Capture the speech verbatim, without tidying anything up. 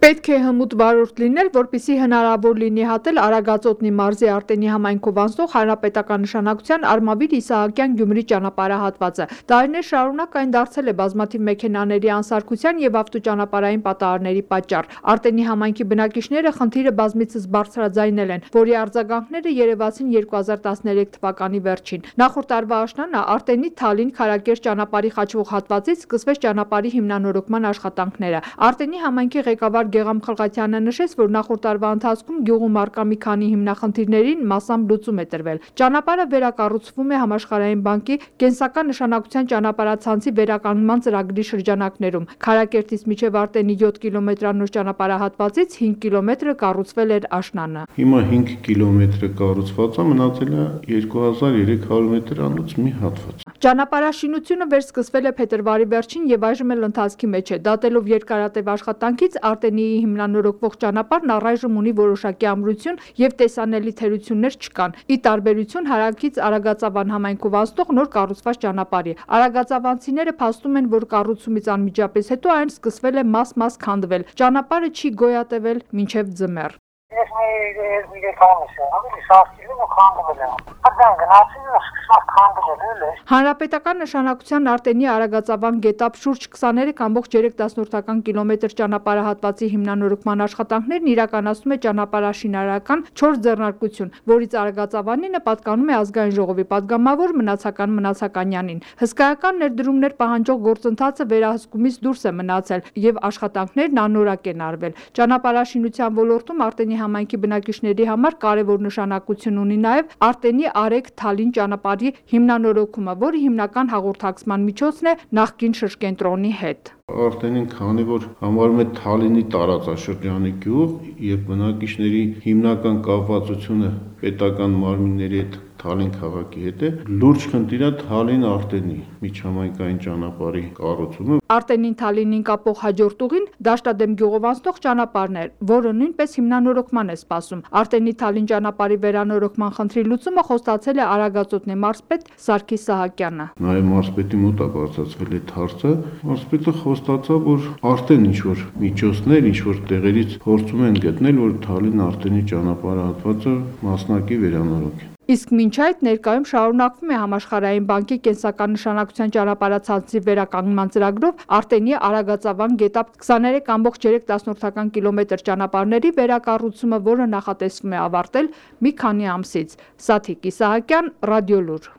Պետք է հմուտ վարորդ լինել, որպեսզի հնարավոր լինի հատել Արագածոտնի մարզի Արտենի համայնքով անցնող հանրապետական նշանակության Արմավիր-Իսահակյան-Գյումրի ճանապարհահատվածը։ Տարիներ շարունակ այն դարձել է բազմաթիվ մեքենաների անսարքության եւ ավտոճանապարհային պատահարների պատճառ։ Արտենի համայնքի բնակիչները խնդիրը բազմիցս բարձրաձայնել են, որի արձագանքները երևացին երկու հազար տասներեք թվականի վերջին։ Նախորդ տարվա աշնանը Արտենի Թալին-Քարակերտ ճանապարհի խաչվող հատվածից սկսվեց ճանապարհի հիմնանորոգման աշխատանքները։ Արտենի համայնքի ղեկավար Գեգամ Խլղաթյանը նշեց, որ նախորդ տարվա ընթացքում գյուղում առկա մի քանի հիմնախնդիրներին մասամբ լուծում է տրվել։ Ճանապարհը վերակառուցվում է Համաշխարհային բանկի կենսական նշանակության ճանապարհացանցի վերականգնման ծրագրի շրջանակներում։ Քարակերտից մինչև Արտենի յոթ կիլոմետրանոց ճանապարհահատվածից հինգ կիլոմետրը կառուցվել էր աշնանը։ Հիմա հինգ կիլոմետրը կառուցված է, մնացել է երկու հազար երեք հարյուր մետրանոց մի հատված։ Ճանապարհաշինությունը վերսկսվել է փետրվարի վերջին եւ այժմ էլ ընթացքի մեջ է։ Դատելով երկարատև աշխատանքից Արտենիի հիմնանորոգվող ճանապարհն առայժմ ունի որոշակի ամրություն եւ տեսանելի թերություններ չկան։ Ի տարբերություն հարակից Արագածավան համայնքով անցնող նոր կառուցված ճանապարհի։ Արագածավանցիները փաստում են, որ կառուցումից անմիջապես հետո այն սկսվել է մաս-մաս քանդվել։ Ճանապարհը չի գոյատևել մինչև ձմեռ։ Ես մի երեք ամիս եմ, ավելի սարքել ու քանդվել եմ։ Այդտեղ գնացին ու սկսած քանդվել է։ Հանրապետական նշանակության Արտենի Արագածավան գետափ շուրջ քսաներեք կամբողջ երեք տասնորդական կիլոմետր ճանապարհահատվածի հիմնանորոգման աշխատանքներն իրականացնում է ճանապարհաշինարարական չորս ձեռնարկություն, որից Արագածավանինը պատկանում է ազգային ժողովի падգամավոր, մնացական Մնացականյանին։ Հսկայական ներդրումներ պահանջող գործընթացը վերահսկումից դուրս է մնացել եւ աշխատանքներն անորակ են արվել։ Ճանապարհաշինության ոլորտում Արտենի համայնքի բնակիչների համար կարևոր նշանակություն ունի նաև Արտենի Արեգ-Թալին ճանապարհի հիմնանորոգումը, որը հիմնական հաղորդակցման միջոցն է նախկին շրջենտրոնի հետ։ Արտենին, քանի որ համարում է Թալինի տարածաշրջանի գյուղ եւ բնակիչների հիմնական կապվածությունը պետական մարմինների հետ Թալին քաղաքի հետ է, լուրջ խնդիր է Թալին-Արտենի միջհամայնքային ճանապարհի կառուցումը։ Արտենին Թալինին կապող հաջորդ ուղին Դաշտադեմ գյուղով անցնող ճանապարհն է, որը նույնպես հիմնանորոգման է սպասում։ Արտենի Թալին ճանապարհի վերանորոգման խնդրի լուծումը խոստացել է Արագածոտնի մարզպետ Սարգիս Սահակյանը։ Նաև մարզպետի մոտ է բարձրացվել այդ հարցը։ Մարզպետը խոստացավ, որ արդեն ինչ-որ միջոցներ, ինչ-որ տեղերից փորձում են գտնել, որ Թալին-Արտենի ճանապարհահատվածը մասնակի վերանորոգեն։ Իսկ մինչ այդ ներկայում շարունակվում է Համաշխարհային բանկի կենսական նշանակության ճանապարհացանցի վերականգնման ծրագրով Արտենի Արագածավան գետափ քսաներեք կամբողջ երեք տասնորդական կիլոմետր ճանապարհների վերակառուցումը, որը նախատեսվում է ավարտել մի քանի ամսից։ Սաթիկ Իսահակյան, Ռադիոլուր։